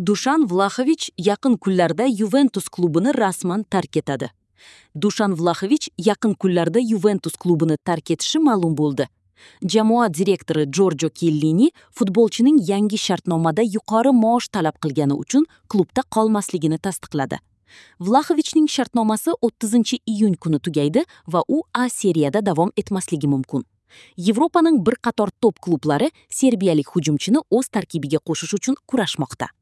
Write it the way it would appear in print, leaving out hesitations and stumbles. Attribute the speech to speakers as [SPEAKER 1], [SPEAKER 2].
[SPEAKER 1] Dushan Vlaxovich yaqin kunlarda Yuventus klubini rasman tark etadi. Dushan Vlaxovich yaqin kunlarda Yuventus klubini tark etishi ma'lum bo'ldi. Jamoa direktori Jorjo Chiellini futbolchining yangi shartnomada yuqori maosh talab qilgani uchun klubda qolmasligini tasdiqladi. Vlaxovichning shartnomasi 30-iyun kuni tugaydi va u A seriyada davom etmasligi mumkin. Yevropaning bir qator top klublari serbiyalik hujumchini o'z tarkibiga qo'shish uchun kurashmoqda.